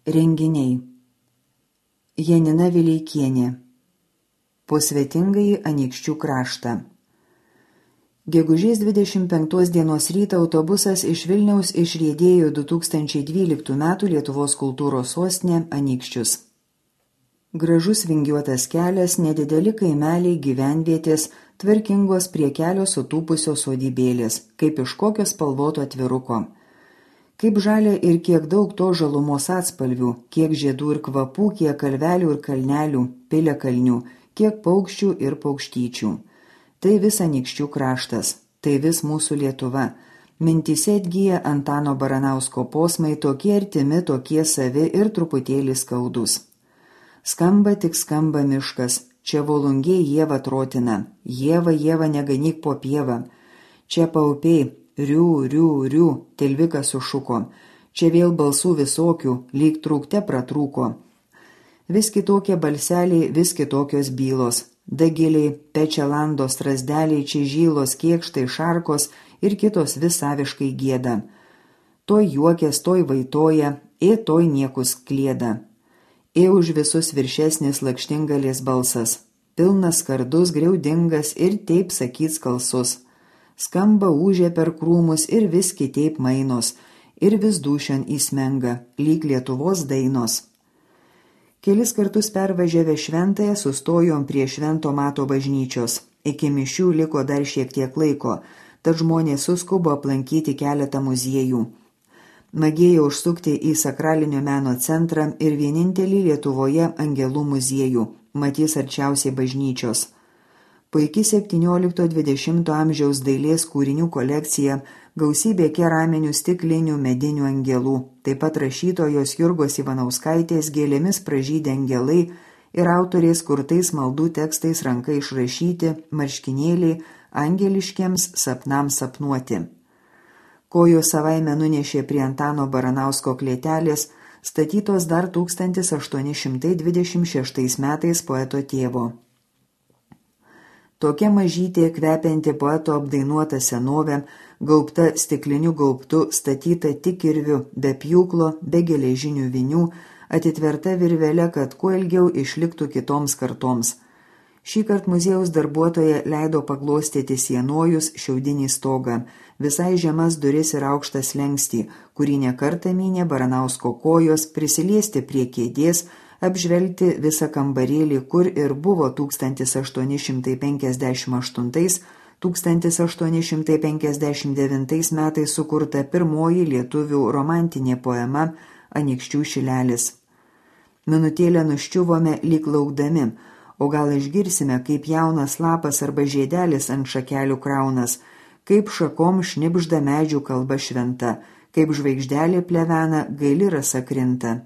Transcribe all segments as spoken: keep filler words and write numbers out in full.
Renginiai. Janina Vileikienė. Po svetingąjį Anykščių kraštą. Gegužės dvidešimt penktos dienos rytą autobusas iš Vilniaus išriedėjo du tūkstančiai dvyliktų metų Lietuvos kultūros sostinė Anykščius. Gražus vingiuotas kelias, nedideli kaimeliai, gyvenvietės, tvarkingos prie kelio sutūpusios sodybėlės, kaip iš kokio spalvoto atviruko. Kaip žalia ir kiek daug to žalumos atspalvių, kiek žiedų ir kvapų, kiek kalvelių ir kalnelių, piliakalnių, kiek paukščių ir paukštyčių. Tai vis Anykščių kraštas, tai vis mūsų Lietuva. Mintyse atgyja Antano Baranausko posmai, tokie artimi, tokie savi ir truputėlį skaudus. Skamba tik skamba miškas, čia volungiai Ieva trotina, Ieva, Ieva neganyk po pievą. Čia paupiai, riu, riu, riu, tilvikas sušuko. Čia vėl balsų visokių, lyg trūkte pratrūko. Vis kitokie balseliai, vis kitokios bylos. Dagiliai, pečelandos, strazdeliai, čižylos, kiekštai, šarkos ir kitos vis saviškai gieda. Toj juokės, toj vaitoja, ė toj niekus klieda. Ė už visus viršesnis lakštingalės balsas. Pilnas skardus, griaudingas ir taip sakyt skalsus. Skamba ūžė per krūmus ir vis kitaip mainos, ir vis dūšian įsmenga, lyg Lietuvos dainos. Kelis kartus pervažiavę Šventąją sustojom prie Švento Mato bažnyčios. Iki mišių liko dar šiek tiek laiko, tad žmonės suskubo aplankyti keletą muziejų. Magėjo užsukti į sakralinio meno centrą ir vienintelį Lietuvoje angelų muziejų, matys arčiausiai bažnyčios. Puiki septyniolikto dvidešimto amžiaus dailės kūrinių kolekcija, gausybė keraminių, stiklinių, medinių angelų, taip pat rašytojos Jurgos Ivanauskaitės gėlėmis pražydę angelai ir autorės kurtais maldų tekstais ranka išrašyti marškinėliai angeliškiems sapnams sapnuoti. Kojos savaime nunešė prie Antano Baranausko klėtelės, statytos dar tūkstantis aštuoni šimtai dvidešimt šeštais metais poeto tėvo. Tokia mažytė, kvepianti poeto apdainuota senovė, gaubta stikliniu gaubtu, statyta tik kirviu, be pjūklo, be geležinių vinių, atitverta virvele, kad kuo ilgiau išliktų kitoms kartoms. Šįkart muziejaus darbuotoja leido paglostyti sienojus, šiaudinį stogą, visai žemas duris ir aukštą slenkstį, kurį nekartą mynė Baranausko kojos, prisiliesti prie kėdės, apžvelgti visą kambarėlį, kur ir buvo tūkstantis aštuoni šimtai penkiasdešimt aštuntais - tūkstantis aštuoni šimtai penkiasdešimt devintais metais sukurta pirmoji lietuvių romantinė poema Anykščių šilelis. Minutėlę nuščiuvome lyg laukdami, o gal išgirsime, kaip jaunas lapas arba žiedelis ant šakelių kraunas, kaip šakom šnibžda medžių kalba šventa, kaip žvaigždelė plevena, gaili rasa krinta.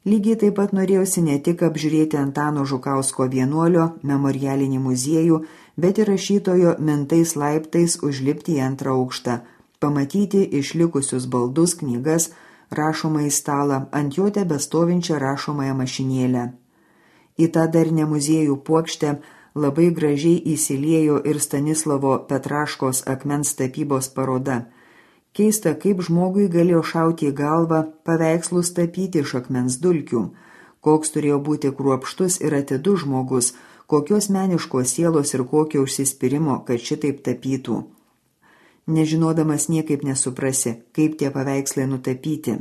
Lygiai taip pat norėjusi ne tik apžiūrėti Antano Žukausko vienuolio memorialinį muziejų, bet ir rašytojo mintais laiptais užlipti į antrą aukštą, pamatyti išlikusius baldus, knygas, rašomąjį stalą, ant jo tebestovinčią rašomąją mašinėlę. Į tą darnę muziejų puokštę labai gražiai įsiliejo ir Stanislavo Petraškos akmens tapybos paroda. Keista, kaip žmogui galėjo šauti į galvą paveikslus tapyti iš akmens dulkių, koks turėjo būti kruopštus ir atidus žmogus, kokios meniškos sielos ir kokio užsispyrimo, kad šitaip tapytų. Nežinodamas niekaip nesuprasi, kaip tie paveikslai nutapyti.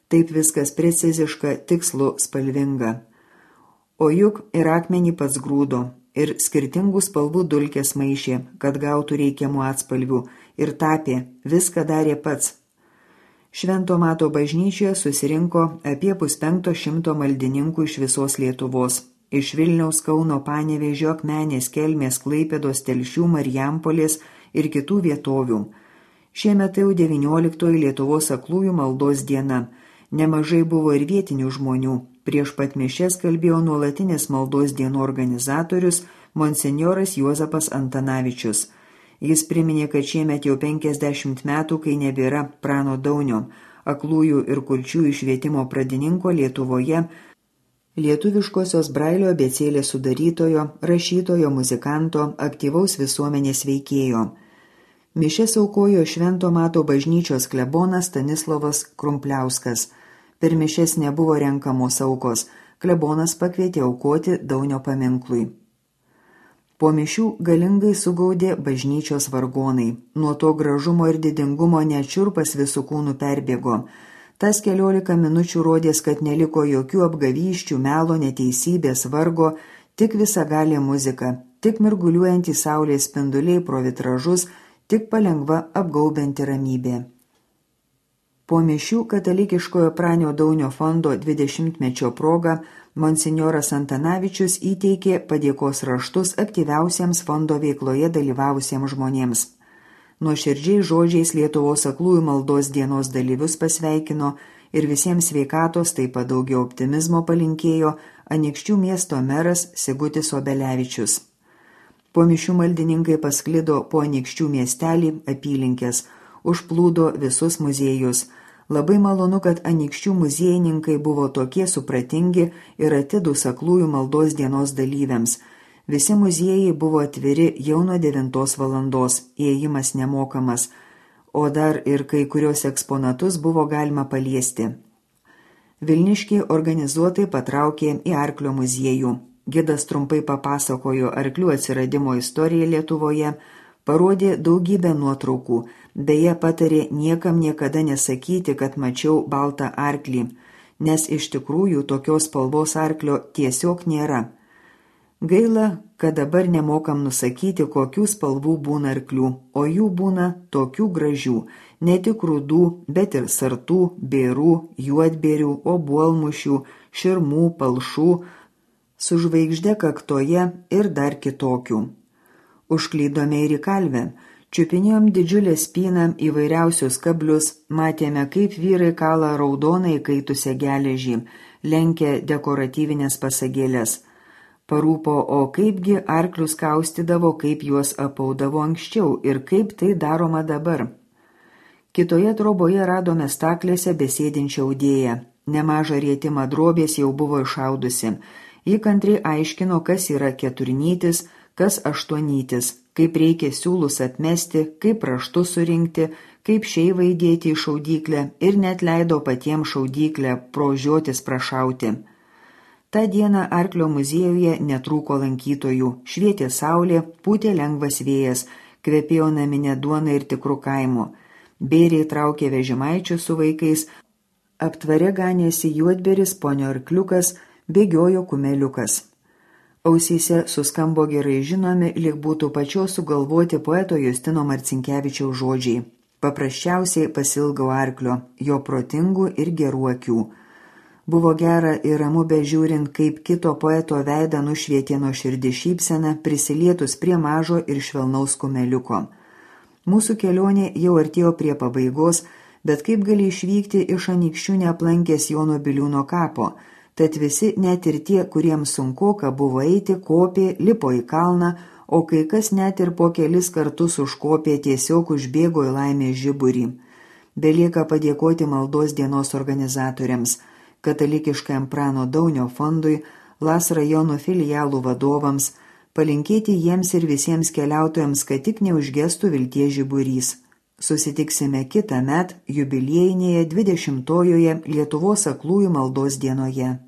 Taip viskas preciziška, tikslu, spalvinga. O juk ir akmenį pats grūdo, ir skirtingų spalvų dulkės maišė, kad gautų reikiamų atspalvių, ir tapė, viską darė pats. Švento Mato bažnyčioje susirinko apie puspenkto šimto maldininkų iš visos Lietuvos, iš Vilniaus, Kauno, Panevėžio, Akmenės, Kelmės, Klaipėdos, Telšių, Marijampolės ir kitų vietovių. Šiemet jau devynioliktoji Lietuvos aklųjų maldos diena. Nemažai buvo ir vietinių žmonių. Prieš pat mišias kalbėjo nuolatinis maldos dienų organizatorius monsinjoras Juozapas Antanavičius. Jis priminė, kad šiemet jau penkiasdešimt metų, kai nebėra Prano Daunio, aklųjų ir kurčiųjų švietimo pradininko Lietuvoje, lietuviškosios Brailio abėcėlės sudarytojo, rašytojo, muzikanto, aktyvaus visuomenės veikėjo. Mišias aukojo Švento Mato bažnyčios klebonas Stanislovas Krumpliauskas. Per mišes nebuvo renkamos aukos, klebonas pakvietė aukoti Daunio paminklui. Po mišių galingai sugaudė bažnyčios vargonai. Nuo to gražumo ir didingumo nečiurpas visų kūnų perbėgo. Tas keliolika minučių rodės, kad neliko jokių apgavyščių, melo, neteisybės, vargo, tik visagalė muzika, tik mirguliuojantys saulės spinduliai pro vitražus, tik palengva apgaubianti ramybė. Po mišių katalikiškojo Pranio Daunio fondo dvidešimtmečio proga monsinjoras Antanavičius įteikė padėkos raštus aktyviausiems fondo veikloje dalyvavusiems žmonėms. Nuoširdžiai žodžiais Lietuvos aklųjų maldos dienos dalyvius pasveikino ir visiems sveikatos, taip pat daugiau optimizmo palinkėjo Anykščių miesto meras Sigutis Obelevičius. Po mišių maldininkai pasklido po Anykščių miestelį, apylinkės, užplūdo visus muziejus. Labai malonu, kad Anykščių muziejininkai buvo tokie supratingi ir atidūs aklųjų maldos dienos dalyviams. Visi muziejai buvo atviri jau nuo devintos valandos, įėjimas nemokamas, o dar ir kai kurios eksponatus buvo galima paliesti. Vilniškiai organizuotai patraukė į Arklio muziejų. Gidas trumpai papasakojo arklių atsiradimo istoriją Lietuvoje, parodė daugybę nuotraukų, beje patarė niekam niekada nesakyti, kad mačiau baltą arklį, nes iš tikrųjų tokios spalvos arklio tiesiog nėra. Gaila, kad dabar nemokam nusakyti, kokių spalvų būna arklių, o jų būna tokių gražių, ne tik rudų, bet ir sartų, bėrų, juodbėrių, obuolmušių, širmų, palšų, su žvaigžde kaktoje ir dar kitokių. Užklydome ir į kalvę, čiupinėjom didžiulę spyną įvairiausius kablius, matėme, kaip vyrai kala raudonai kaitusią geležį, lenkia dekoratyvinės pasagėlės. Parūpo, o kaipgi arklius kaustydavo, kaip juos apaudavo anksčiau ir kaip tai daroma dabar. Kitoje troboje radome staklėse besėdinčią audėją. Nemažą rietimą drobės jau buvo išaudusi. Ji kantriai aiškino, kas yra keturnytis, kas aštuonytis, kaip reikia siūlus atmesti, kaip raštus surinkti, kaip šeivą įdėti į šaudyklę ir net leido patiems šaudyklę pro žiotis prašauti. Ta diena Arklio muziejuje netrūko lankytojų, švietė saulė, pūtė lengvas vėjas, kvepėjo naminė duona ir tikrų kaimų. Bėriai traukė vežimaičius su vaikais, aptvare ganėsi juodberis, ponio arkliukas, bėgiojo kumeliukas. Ausyse suskambo gerai žinomi, lyg būtų pačios sugalvoti poeto Justino Marcinkevičiaus žodžiai. Paprasčiausiai pasilgau arklio, jo protingų ir gerų akių. Buvo gera ir ramu bežiūrint, kaip kito poeto veidą nušvietė nuoširdi šypsena, prisilietus prie mažo ir švelnaus kumeliuko. Mūsų kelionė jau artėjo prie pabaigos, bet kaip gali išvykti iš Anykščių neaplankęs Jono Biliūno kapo, tad visi, net ir tie, kuriems sunkoka buvo eiti, kopė, lipo į kalną, o kai kas net ir po kelis kartus užkopė, tiesiog užbėgo į laimės žiburį. Belieka padėkoti maldos dienos organizatoriams, katalikiškajam Prano Daunio fondui, Las rajono filialų vadovams, palinkėti jiems ir visiems keliautojams, kad tik neužgestų vilties žiburys. Susitiksime kitąmet jubiliejinėje dvidešimtojoje Lietuvos aklųjų maldos dienoje.